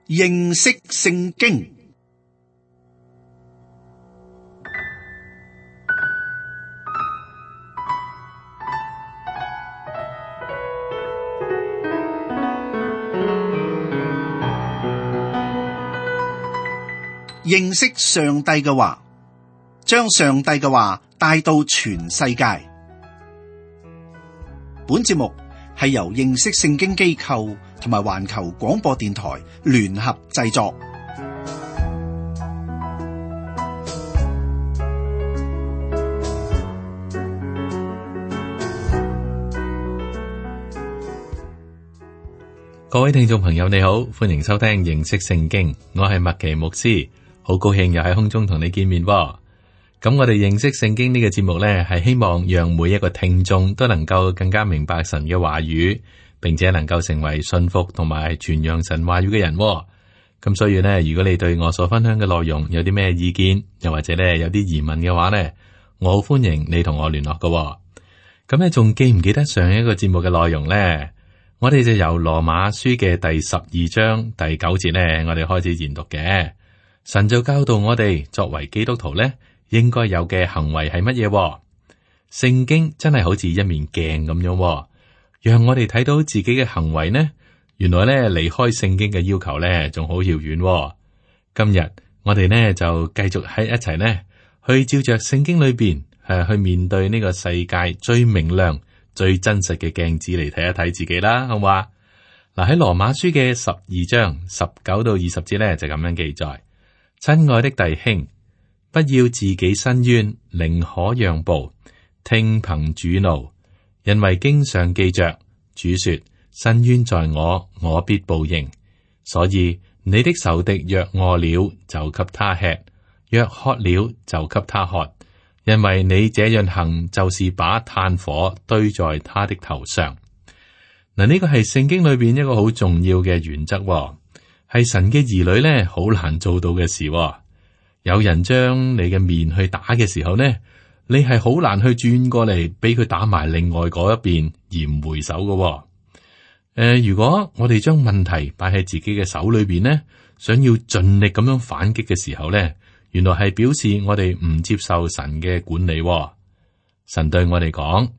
認識聖經。認識上帝嘅話，將上帝嘅話帶到全世界。本節目係由認識聖經機構同埋環球廣播電台聯合製作。各位聽眾朋友，你好，歡迎收聽認識聖經，我係麥奇牧師，好高興又喺空中同你見面喎。咁我哋認識聖經呢個節目呢，係希望讓每一個聽眾都能夠更加明白神嘅話語，並且能夠成為信服同埋傳揚神話語嘅人喎。咁所以呢，如果你對我所分享嘅內容有啲咩意見，又或者呢有啲疑問嘅話呢，我好歡迎你同我聯絡㗎喎。咁你仲記唔記得上一個節目嘅內容呢？我哋就由羅馬書嘅第12章第9節呢，我哋開始研讀嘅。神就教導我哋作為基督徒呢，應該有嘅行為係乜嘢？聖經真係好似一面鏡咁樣，讓我哋睇到自己嘅行為呢。原來呢，離開聖經嘅要求呢，仲好遙遠。今日我哋呢就繼續喺一齊呢，去照着聖經裏邊去面對呢個世界最明亮、最真實嘅鏡子嚟睇一睇自己啦，好嘛？嗱，喺羅馬書嘅12章19到20節呢，就咁樣記載：親愛的弟兄，不要自己申冤，寧可讓步，聽憑主怒，因為經上記着，主說：申冤在我，我必報應。所以你的仇敵若餓了，就給他吃；若渴了，就給他喝。因為你這樣行，就是把炭火堆在他的頭上。嗱，呢個係聖經裏邊一個好重要嘅原則，係神嘅兒女咧好難做到嘅事。有人將你嘅面去打嘅時候呢，你係好難去轉過嚟俾佢打埋另外嗰一邊而唔回手嘅。如果我哋將問題擺喺自己嘅手裏邊呢，想要盡力咁樣反擊嘅時候呢，原來係表示我哋唔接受神嘅管理。神對我哋講：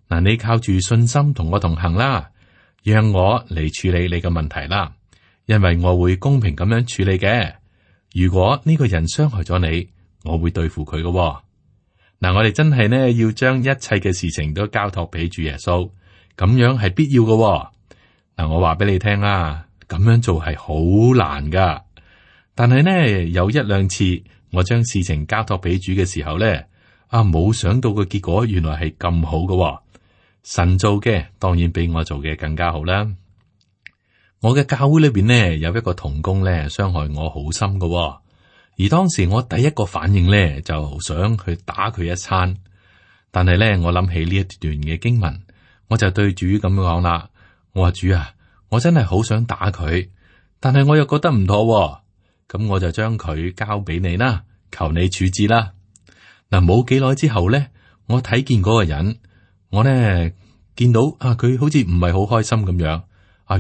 嗱，你靠住信心同我同行啦，讓我嚟處理你嘅問題啦，因為我會公平咁樣處理嘅。如果呢個人傷害咗你，我會對付佢嘅。嗱，我哋真係呢要將一切嘅事情都交託俾主耶穌，咁樣係必要嘅。嗱，我話俾你聽啦，咁樣做係好難噶，但係呢有一兩次我將事情交託俾主嘅時候呢，冇想到嘅結果原來係咁好嘅。神做嘅當然比我做嘅更加好啦。我嘅教會裏邊呢有一個同工呢傷害我好深嘅，而當時我第一個反應呢就想去打佢一餐，但係呢我諗起呢一段嘅經文，我就對主咁講啦。我話主啊，我真係好想打佢，但係我又覺得唔妥，咁我就將佢交俾你啦，求你處置啦。嗱，冇幾耐之後呢，我睇見嗰個人，我呢見到佢好似唔係好開心咁樣。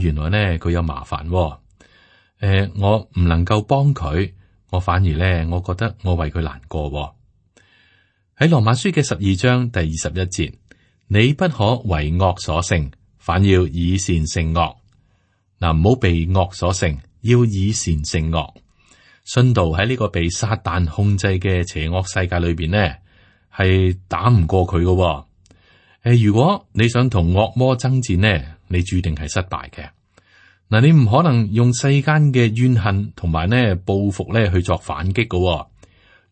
原來呢佢有麻煩，我唔能夠幫佢，我反而呢我覺得我為佢難過。喺羅馬書嘅12章第21節，你不可為惡所勝，反要以善勝惡。嗱，唔好被惡所勝，要以善勝惡。信徒喺呢個被撒旦控制嘅邪惡世界裏邊呢，係打唔過佢嘅。如果你想同惡魔爭戰呢，你注定係失敗嘅。嗱，你唔可能用世間嘅怨恨同埋呢報復呢去作反擊嘅。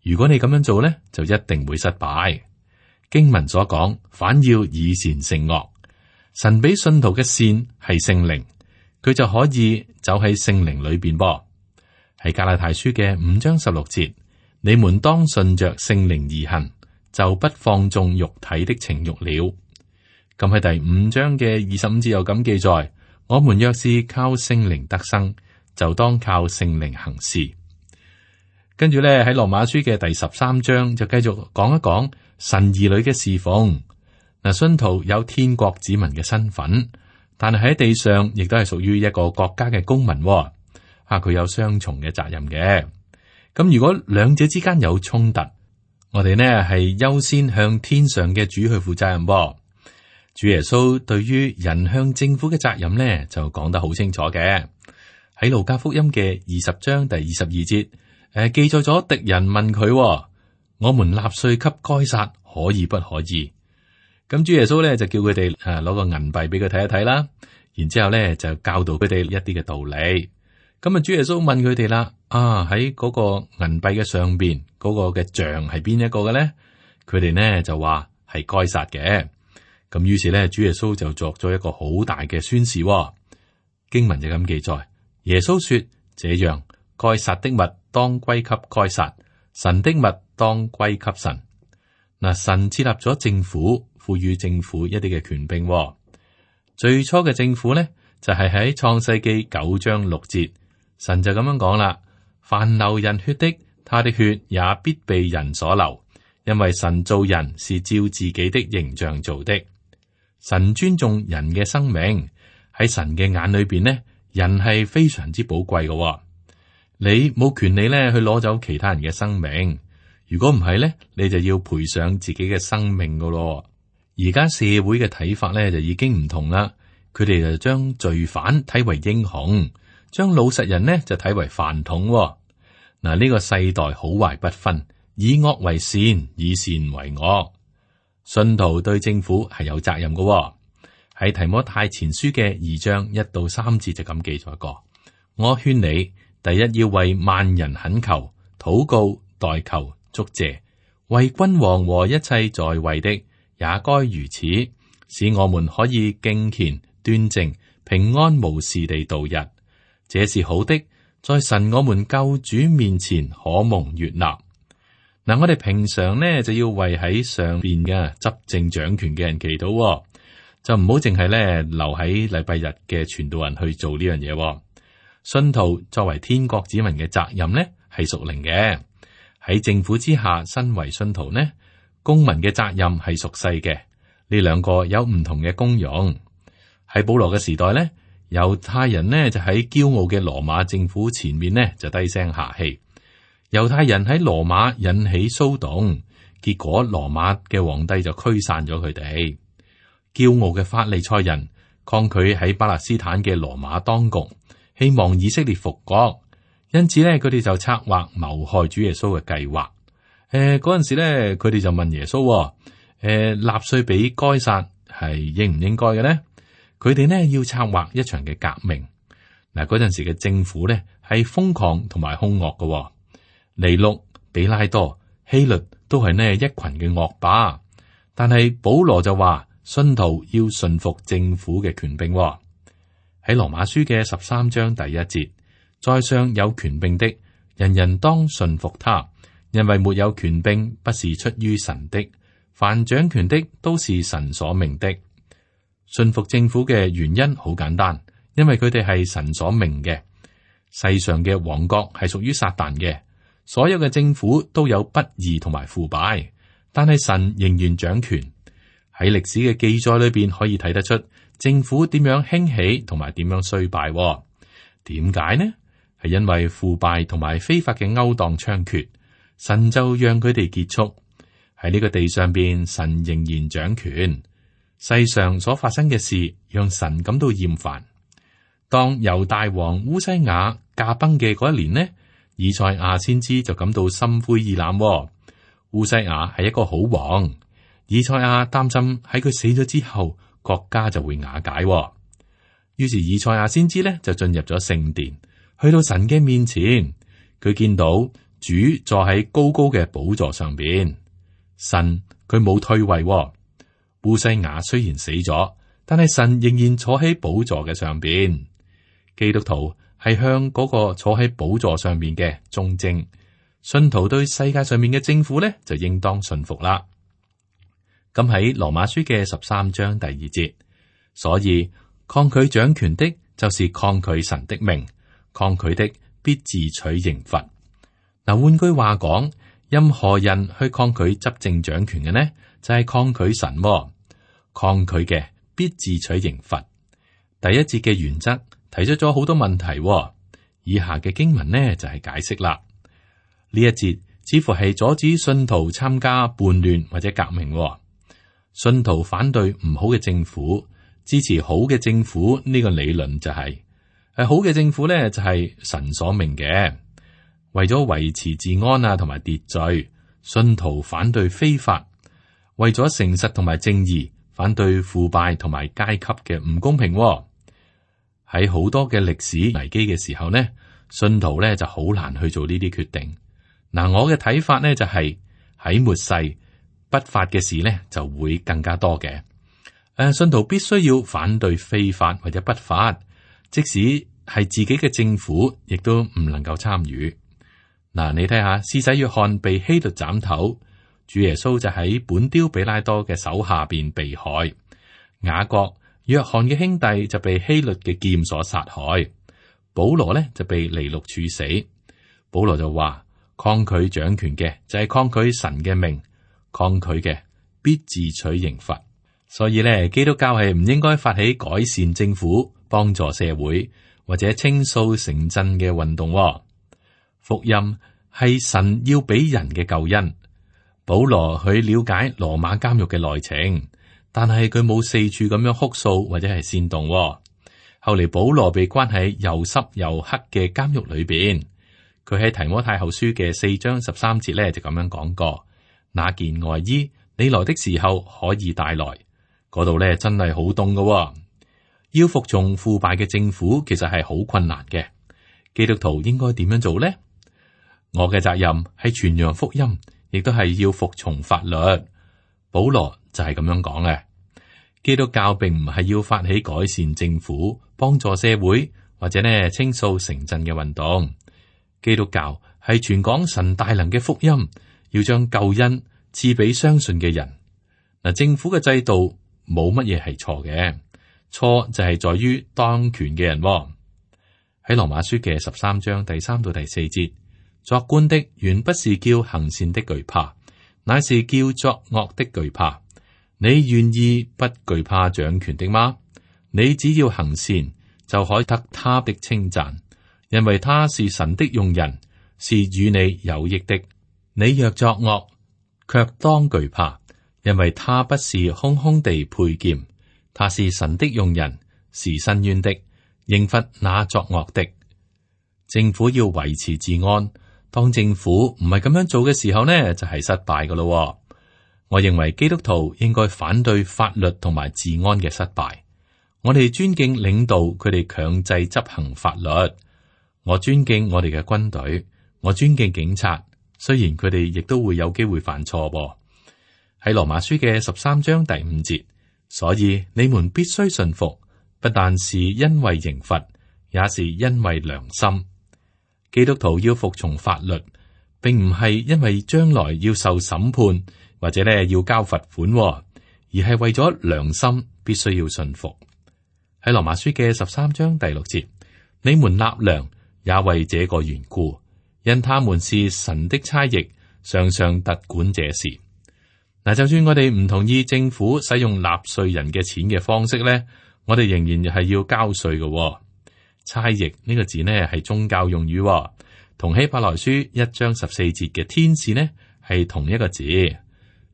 如果你咁樣做呢，就一定會失敗。經文所講，反要以善勝惡。神俾信徒嘅善係聖靈，佢就可以走喺聖靈裏邊噃。喺加拉太書嘅5章16節，你們當順着聖靈而行，就不放縱肉體的情慾了。咁喺第5章嘅25節又咁記載：我們若是靠聖靈得生，就當靠聖靈行事。跟住咧喺羅馬書嘅第13章就繼續講一講神兒女嘅侍奉。嗱，信徒有天國子民嘅身份，但係喺地上亦都係屬於一個國家嘅公民。佢有雙重嘅責任嘅。咁如果兩者之間有衝突，我哋呢係優先向天上嘅主去負責任噃。主耶穌對於人向政府嘅責任呢，就講得好清楚嘅。喺路加福音嘅20章第22節，記載咗敵人問佢：我們納稅給該撒可以不可以？咁主耶穌咧就叫佢哋攞個銀幣俾佢睇一睇啦，然之後咧就教導佢哋一啲嘅道理。咁主耶穌問佢哋啦：喺嗰個銀幣嘅上邊嗰個嘅像係邊一個嘅咧？佢哋呢就話係該撒嘅。咁於是咧，主耶穌就作咗一個好大嘅宣示。經文就咁記載：耶穌說，這樣該撒的物當歸給該撒，神的物當歸給神。嗱，神設立咗政府，賦予政府一啲嘅權柄。最初嘅政府咧，就係喺創世記9章6節，神就咁樣講啦：凡流人血的，他的血也必被人所流，因為神造人是照自己的形象造的。神尊重人嘅生命，喺神嘅眼裏邊呢，人係非常之寶貴嘅。你冇權利咧去攞走其他人嘅生命，如果唔係咧，你就要賠上自己嘅生命噶咯。而家社會嘅睇法咧就已經唔同啦，佢哋就將罪犯睇為英雄，將老實人呢就睇為飯桶。嗱，呢個世代好壞不分，以惡為善，以善為惡。信徒對政府係有責任嘅。喺提摩太前書嘅2章1到3節就咁記載過。我勸你，第一要為萬人懇求、禱告、代求、祝謝，為君王和一切在位的，也該如此，使我們可以敬虔、端正、平安無事地度日。這是好的，在神我們救主面前可蒙悅納。嗱，我哋平常呢就要為喺上邊嘅執政掌權嘅人祈禱，就唔好淨係咧留喺禮拜日嘅傳道人去做呢樣嘢。信徒作為天國子民嘅責任呢係屬靈嘅，喺政府之下身為信徒呢，公民嘅責任係屬世嘅。呢兩個有唔同嘅功用。喺保羅嘅時代呢，猶太人呢就喺驕傲嘅羅馬政府前面呢就低聲下氣。猶太人喺羅馬引起騷動，結果羅馬嘅皇帝就驅散咗佢哋。驕傲嘅法利賽人抗拒喺巴勒斯坦嘅羅馬當局，希望以色列復國，因此咧佢哋就策劃謀害主耶穌嘅計劃。嗰陣時咧，佢哋就問耶穌：納稅俾該撒係應唔應該嘅咧？佢哋呢要策劃一場嘅革命。嗱，嗰陣時嘅政府咧係瘋狂同埋兇惡嘅。尼祿、比拉多、希律都係呢一群嘅惡霸，但係保羅就話信徒要順服政府嘅權柄。喺羅馬書嘅13章第1節，在上有權柄的，人人當順服他，因為沒有權柄不是出於神的，凡掌權的都是神所命的。順服政府嘅原因好簡單，因為佢哋係神所命嘅。世上嘅王國係屬於撒旦嘅。所有嘅政府都有不義同埋腐敗，但係神仍然掌權。喺歷史嘅記載裏邊可以睇得出政府點樣興起同埋點樣衰敗。點解呢？係因為腐敗同埋非法嘅勾當猖獗，神就讓佢哋結束。喺呢個地上邊，神仍然掌權。世上所發生嘅事讓神感到厭煩。當猶大王烏西雅駕崩嘅嗰一年呢，以賽亞先知就感到心灰意冷。烏西雅係一個好王，以賽亞擔心喺佢死咗之後，國家就會瓦解。於是以賽亞先知呢就進入咗聖殿，去到神嘅面前，佢見到主坐喺高高嘅寶座上邊，神佢冇退位。烏西雅雖然死咗，但係神仍然坐喺寶座嘅上邊。基督徒係向嗰個坐喺寶座上面嘅忠貞，信徒對世界上面嘅政府呢，就應當順服啦。咁喺羅馬書嘅13章第2節，所以抗拒掌權的，就是抗拒神的命；抗拒的，必自取刑罰。嗱，換句話講，任何人去抗拒執政掌權嘅呢，就係抗拒神。抗拒嘅必自取刑罰。第1節嘅原則提出咗好多問題。以下嘅經文呢就係解釋啦。呢一節似乎係阻止信徒參加叛亂或者革命。信徒反對唔好嘅政府，支持好嘅政府，呢個理論就係好嘅政府呢就係神所命嘅。為咗維持治安啊同埋秩序，信徒反對非法；為咗誠實同埋正義，反對腐敗同埋階級嘅唔公平。喺好多嘅歷史危機嘅時候呢，信徒呢就好難去做呢啲決定。嗱，我嘅睇法呢就係喺末世不法嘅事呢就會更加多嘅。信徒必須要反對非法或者不法，即使係自己嘅政府，亦都唔能夠參與。嗱，你睇下，施洗約翰被希律斬頭，主耶穌就喺本丟彼拉多嘅手下邊被害。雅各、約翰嘅兄弟就被希律嘅劍所殺害。保羅呢就被尼祿處死。保羅就話：抗拒掌權嘅就係抗拒神嘅命，抗拒嘅必自取刑罰。所以呢，基督教係唔應該發起改善政府、幫助社會或者清掃城鎮嘅運動。福音係神要俾人嘅救恩。保羅去了解羅馬監獄嘅內情，但係佢冇四處咁樣哭訴或者係煽動。後嚟保羅被關喺又濕又黑嘅監獄裏邊，佢喺提摩太後書嘅4章13節咧就咁樣講過：那件外衣你來的時候可以帶來。嗰度咧真係好凍㗎。要服從腐敗嘅政府，其實係好困難嘅。基督徒應該點樣做呢？我嘅責任係傳揚福音，亦都係要服從法律。保羅就係咁樣講嘅。基督教並唔係要發起改善政府、幫助社會或者呢清掃城鎮嘅運動。基督教係傳講神大能嘅福音，要將救恩賜俾相信嘅人。嗱，政府嘅制度冇乜嘢係錯嘅，錯就係在於當權嘅人。喺羅馬書嘅13章第3到第4節，作官的原不是叫行善的懼怕，乃是叫作惡的懼怕。你願意不懼怕掌權的嗎？你只要行善，就可得他的稱讚，因為他是神的用人，是與你有益的。你若作惡，卻當懼怕，因為他不是空空地佩劍，他是神的用人，是伸冤的，刑罰那作惡的。政府要維持治安，當政府唔係咁樣做嘅時候呢，就係失敗噶咯。我認為基督徒應該反對法律同埋治安嘅失敗。我哋尊敬領導佢哋強制執行法律。我尊敬我哋嘅軍隊，我尊敬警察，雖然佢哋亦都會有機會犯錯噃。喺羅馬書嘅13章第5節，所以你們必須順服，不但是因為刑罰，也是因為良心。基督徒要服從法律，並唔係因為將來要受審判或者咧要交罰款，而係為咗良心必須要順服。喺羅馬書嘅13章第6節，你們納糧也為這個緣故，因他們是神的差役，常常特管這事。嗱，就算我哋唔同意政府使用納稅人嘅錢嘅方式咧，我哋仍然係要交稅嘅。差役呢個字呢係宗教用語，同希伯來書1章14節嘅天使呢係同一個字。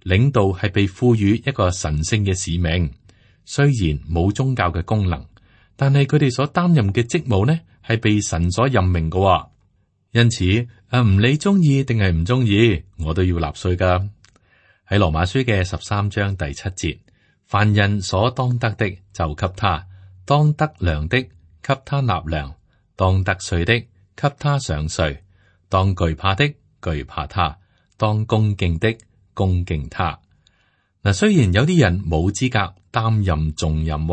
領導係被賦予一個神聖嘅使命，雖然冇宗教嘅功能，但係佢哋所擔任嘅職務呢係被神所任命嘅。因此唔理中意定係唔中意，我都要納稅噶。喺羅馬書嘅13章第7節，凡人所當得的就給他，當得糧的給他納糧，當得稅的給他上稅，當懼怕的懼怕他，當恭敬的恭敬他。嗱，雖然有啲人冇資格擔任重任，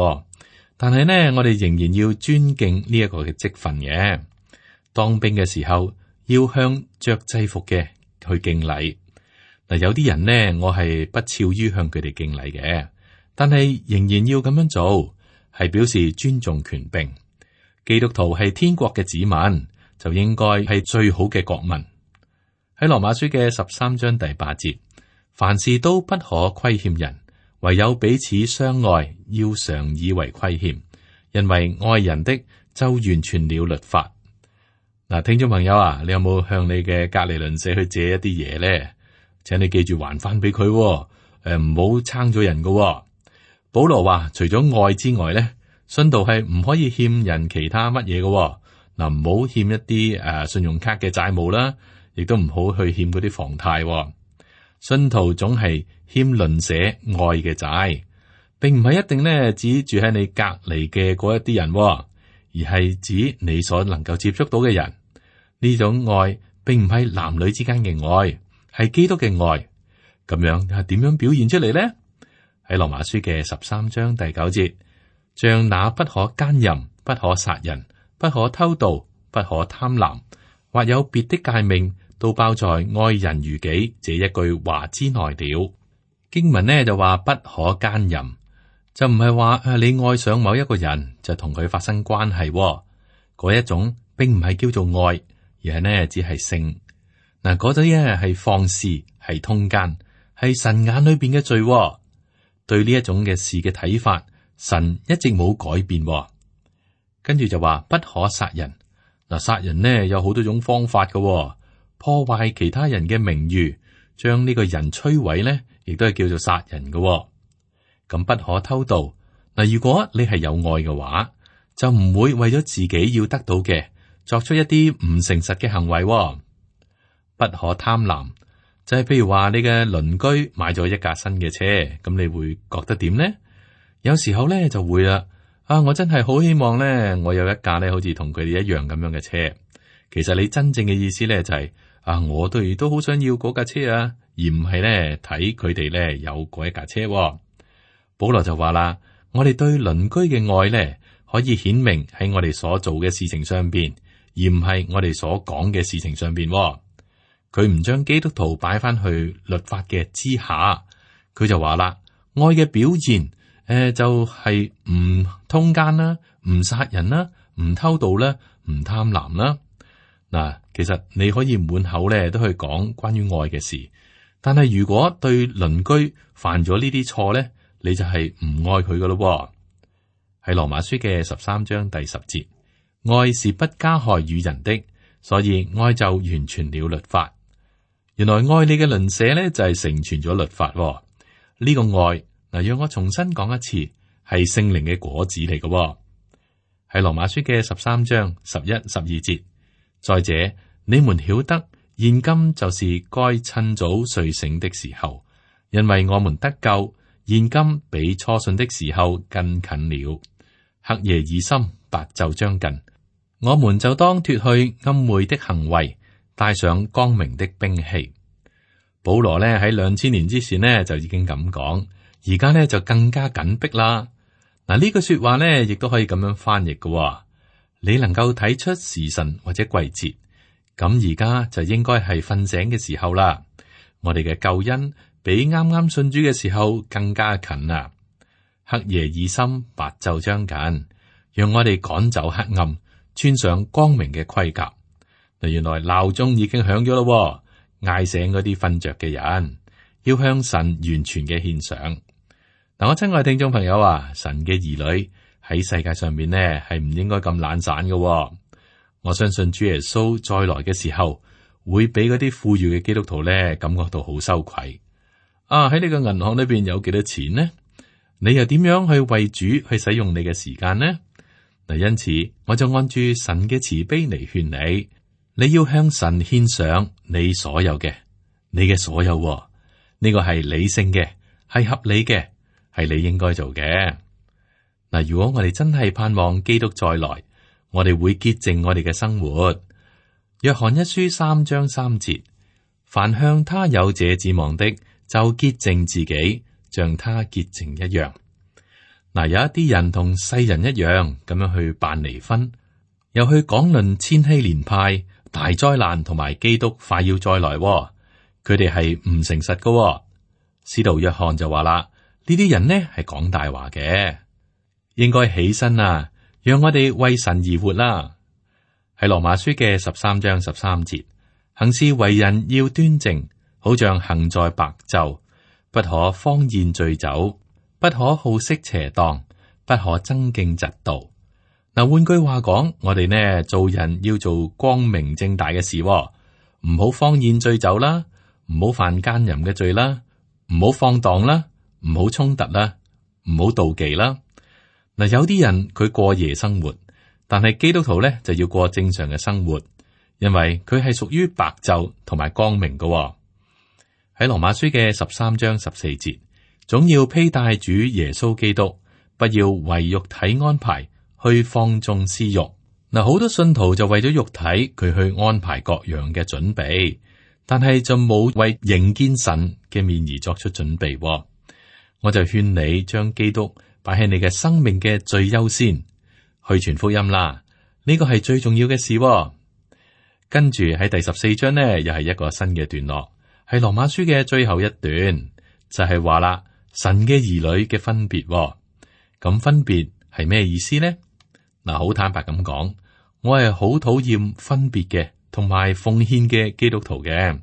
但係呢，我哋仍然要尊敬呢一個嘅職分嘅。當兵嘅時候，要向着制服嘅去敬禮。嗱，有啲人呢，我係不屑於向佢哋敬禮嘅，但係仍然要咁樣做，係表示尊重權柄。基督徒係天國嘅子民，就應該係最好嘅國民。喺羅馬書嘅13章第8節，凡事都不可虧欠人，唯有彼此相愛，要常以為虧欠，因為愛人的就完全了律法。嗱，聽眾朋友啊，你有冇向你嘅隔離鄰舍去借一啲嘢咧？請你記住還翻俾佢，唔好撐咗人噶。保羅話，除咗愛之外咧，信徒係唔可以欠人其他乜嘢嘅。嗱，唔好欠一啲信用卡嘅債務啦，亦都唔好去欠嗰啲房貸。信徒總係欠鄰舍愛嘅債，並唔係一定咧指住喺你隔籬嘅嗰一啲人，而係指你所能夠接觸到嘅人。呢種愛並唔係男女之間嘅愛，係基督嘅愛。咁樣係點樣表現出嚟呢？喺羅馬書嘅13章第9節，像那不可姦淫、不可殺人、不可偷盜、不可貪婪，或有別的誡命，都包在愛人如己這一句話之內了。經文呢就話不可姦淫，就唔係話你愛上某一個人就同佢發生關係，嗰一種並唔係叫做愛，而係呢只係性。嗱，嗰啲呢係放肆，係通姦，係神眼裏邊嘅罪。對呢一種嘅事嘅睇法，神一直冇改變。跟住就話不可殺人。嗱，殺人呢有好多種方法嘅，破壞其他人嘅名譽，將呢個人摧毀呢，亦都係叫做殺人嘅。咁不可偷盜。嗱，如果你係有愛嘅話，就唔會為咗自己要得到嘅，作出一啲唔誠實嘅行為。不可貪婪，就係譬如話你嘅鄰居買咗一架新嘅車，咁你會覺得點呢？有時候咧就會啦。我真係好希望咧，我有一架咧好似同佢哋一樣咁樣嘅車。其實你真正嘅意思咧就係我哋都好想要嗰架車啊，而唔係咧睇佢哋咧有嗰一架車。保羅就話啦，我哋對鄰居嘅愛咧，可以顯明喺我哋所做嘅事情上邊，而唔係我哋所講嘅事情上邊。佢唔將基督徒擺翻去律法嘅之下，佢就話啦，愛嘅表現，就係唔通姦啦，唔殺人啦，唔偷盜啦，唔貪婪啦。嗱，其實你可以滿口咧都去講關於愛嘅事，但係如果對鄰居犯咗呢啲錯咧，你就係唔愛佢噶咯。喺羅馬書嘅13章第10節，愛是不加害於人的，所以愛就完全了律法。原來愛你嘅鄰舍咧就係成全咗律法。呢個愛，嗱，讓我重新講一次，係聖靈嘅果子嚟嘅。喺羅馬書嘅13章11、12節，再者你們曉得，現今就是該趁早睡醒的時候，因為我們得救，現今比初信的時候更近了。黑夜已深，白晝將近，我們就當脫去暗昧的行為，帶上光明的兵器。保羅呢喺2000年之前呢就已經咁講，而家呢就更加緊迫啦。嗱，呢句說話呢亦都可以咁樣翻譯嘅。你能夠睇出時辰或者季節，咁而家就應該係瞓醒嘅時候啦。我哋嘅救恩比啱啱信主嘅時候更加近啦。黑夜已深，白晝將近，讓我哋趕走黑暗，穿上光明嘅盔甲。嗱，原來鬧鐘已經響咗咯，嗌醒嗰啲瞓着嘅人，要向神完全嘅獻上。嗱，我親愛聽眾朋友啊，神嘅兒女喺世界上面呢係唔應該咁懶散嘅。我相信主耶穌再來嘅時候，會俾嗰啲富裕嘅基督徒咧感覺到好羞愧。喺呢個銀行裏邊有幾多錢呢？你又點樣去為主去使用你嘅時間呢？嗱，因此我就按住神嘅慈悲嚟勸你，你要向神獻上你所有嘅，你嘅所有。呢個係理性嘅，係合理嘅，係你應該做嘅。嗱，如果我哋真係盼望基督再來，我哋會潔淨我哋嘅生活。約翰一書3章3節，凡向他有這指望的，就潔淨自己，像他潔淨一樣。嗱，有一啲人同世人一樣咁樣去辦離婚，又去講論千禧年派、大災難同埋基督快要再來。佢哋係唔誠實㗎。使徒約翰就話啦，呢啲人呢係講大話嘅，應該起身啊，讓我哋為神而活啦。喺羅馬書嘅13章13節，行事為人要端正，好像行在白晝，不可荒宴醉酒，不可好色邪蕩，不可爭競嫉妒。嗱，換句話講，我哋呢做人要做光明正大嘅事，唔好荒宴醉酒啦，唔好犯奸淫嘅罪啦，唔好放蕩啦，唔好衝突啦，唔好妒忌啦。嗱，有啲人佢過夜生活，但係基督徒咧就要過正常嘅生活，因為佢係屬於白晝同埋光明嘅。喺羅馬書嘅13章14節，總要披戴主耶穌基督，不要為肉體安排去放縱私欲。嗱，好多信徒就為咗肉體佢去安排各樣嘅準備，但係就冇為迎見神嘅面而作出準備。我就勸你將基督擺喺你嘅生命嘅最優先，去傳福音啦。呢個係最重要嘅事。跟住喺第14章呢，又係一個新嘅段落，係羅馬書嘅最後一段，就係話啦，神嘅兒女嘅分別。咁分別係咩意思呢？嗱，好坦白咁講，我係好討厭分別嘅同埋奉獻嘅基督徒嘅，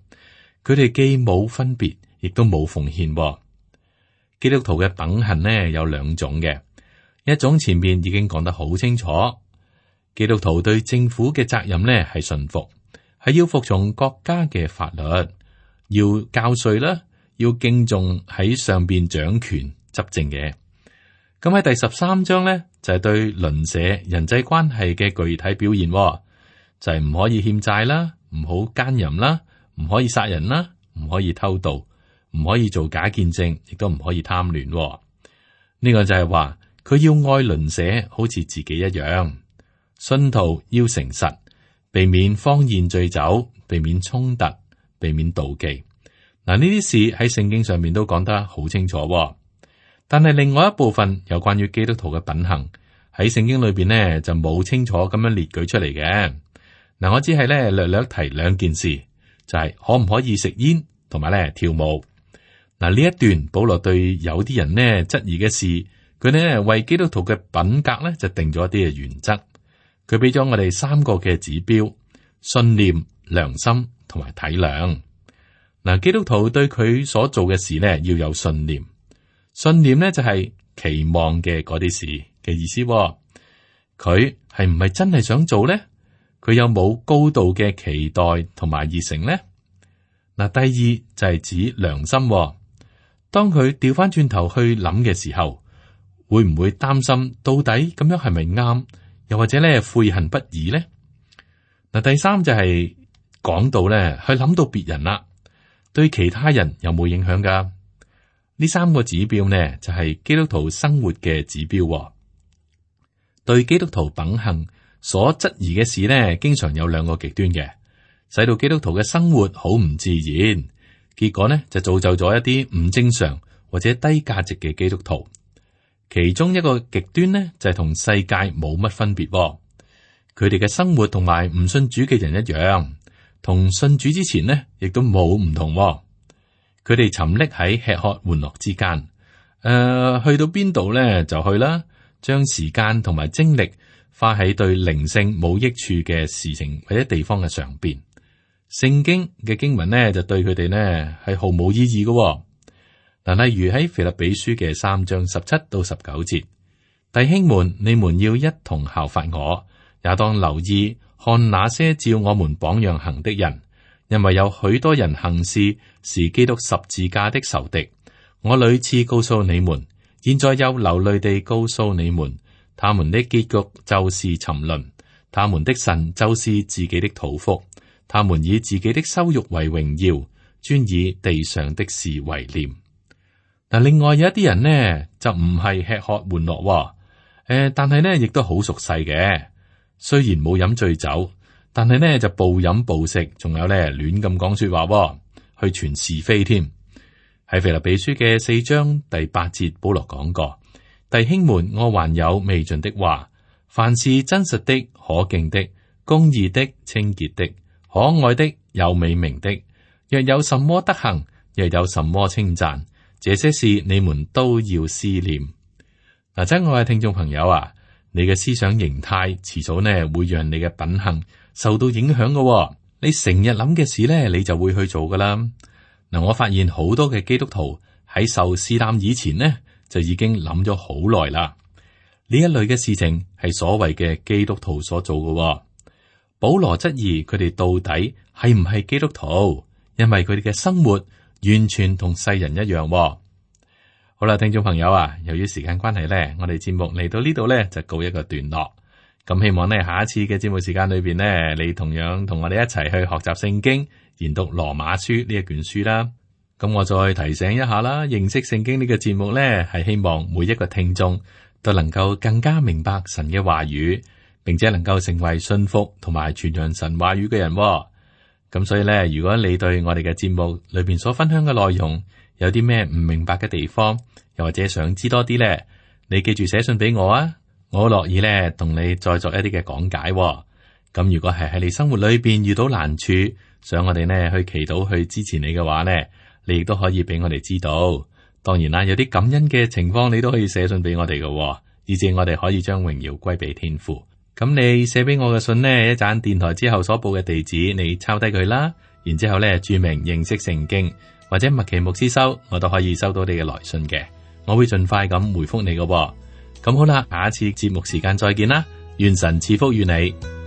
佢哋既冇分別，亦都冇奉獻。基督徒嘅品行呢有兩種嘅，一種前面已經講得好清楚，基督徒對政府嘅責任呢係順服，係要服從國家嘅法律，要交稅啦，要敬重喺上邊掌權執政嘅。咁喺第13章呢，就係對鄰舍人際關係嘅具體表現，就係唔可以欠債啦，唔好奸淫啦，唔可以殺人啦，唔可以偷盜，唔可以做假見證，亦都唔可以貪戀。呢個就係話佢要愛鄰舍好似自己一樣。信徒要誠實，避免荒宴醉酒，避免衝突，避免妒忌。嗱，呢啲事喺聖經上面都講得好清楚。但係另外一部分有關於基督徒嘅品行喺聖經裏邊呢，就冇清楚咁樣列舉出嚟嘅。嗱，我只係咧略略提兩件事，就係可唔可以食煙，同埋咧跳舞。嗱，呢一段保羅對有啲人呢質疑嘅事，佢呢為基督徒嘅品格咧就定咗一啲嘅原則。佢俾咗我哋3個嘅指標：信念、良心同埋體諒。嗱，基督徒對佢所做嘅事呢要有信念。信念呢就係期望嘅嗰啲事嘅意思。佢係唔係真係想做呢？佢有冇高度嘅期待同埋熱誠呢？嗱，第二就係指良心。當佢調翻轉頭去諗嘅時候，會唔會擔心到底咁樣係咪啱？又或者咧悔恨不已呢？嗱，第三就係講到咧，去諗到別人啦，對其他人有冇影響噶？呢3個指標呢，就係基督徒生活嘅指標。對基督徒品行所質疑嘅事呢，經常有2個極端嘅，使到基督徒嘅生活好唔自然，結果呢就造就咗一啲唔正常或者低價值嘅基督徒。其中一個極端呢，就係同世界冇乜分別。佢哋嘅生活同埋唔信主嘅人一樣，同信主之前呢，亦都冇唔同。佢哋沉溺喺吃喝玩樂之間，去到邊度咧就去啦，將時間同埋精力花喺對靈性冇益處嘅事情或者地方嘅上邊。聖經嘅經文呢，就對佢哋呢係毫無意義嘅。嗱，例如喺腓立比書嘅3章17到19節，弟兄們，你們要一同效法我，也當留意看那些照我們榜樣行的人。因為有許多人行事是基督十字架的仇敵，我屢次告訴你們，現在又流淚地告訴你們，他們的結局就是沉淪，他們的神就是自己的肚腹，他們以自己的羞辱為榮耀，專以地上的事為念。嗱，另外有一啲人呢，就唔係吃喝玩樂，但係呢亦都好熟悉嘅，雖然冇飲醉酒。但係呢就暴飲暴食，仲有呢亂咁講說話，去傳是非添。喺腓立比書嘅4章第8節，保羅講過：弟兄們，我還有未盡的話，凡是真實的、可敬的、公義的、清潔的、可愛的、有美名的，若有什麼德行，若有什麼稱讚，這些事你們都要思念。嗱，親愛嘅聽眾朋友啊，你嘅思想形態遲早呢會讓你嘅品行受到影響嘅。你成日諗嘅事呢，你就會去做噶啦。嗱，我發現好多嘅基督徒喺受試探以前呢，就已經諗咗好耐啦。呢一類嘅事情係所謂嘅基督徒所做嘅。保羅質疑佢哋到底係唔係基督徒，因為佢哋嘅生活完全同世人一樣。好啦，聽眾朋友啊，由於時間關係呢，我哋節目嚟到呢度呢，就告一個段落。咁希望呢，下一次嘅節目時間裏邊呢，你同樣同我哋一齊去學習聖經，研讀羅馬書呢一卷書啦。咁我再提醒一下啦，認識聖經呢個節目呢，係希望每一個聽眾都能夠更加明白神嘅話語，並且能夠成為信服同埋傳揚神話語嘅人。咁所以呢，如果你對我哋嘅節目裏邊所分享嘅內容有啲咩唔明白嘅地方，又或者想知多啲呢，你記住寫信俾我啊，我樂意呢同你再作一啲嘅講解。咁如果係喺你生活裏邊遇到難處，想我哋呢去祈禱去支持你嘅話呢，你亦都可以俾我哋知道。當然啦，有啲感恩嘅情況，你都可以寫信俾我哋嘅，以致我哋可以將榮耀歸俾天父。咁你寫俾我嘅信呢，一陣電台之後所報嘅地址，你抄低佢啦，然之後呢注明認識聖經或者麥奇牧師收，我都可以收到你嘅來信嘅，我會盡快咁回覆你嘅。咁好啦，下一次節目時間再見啦，願神賜福於你。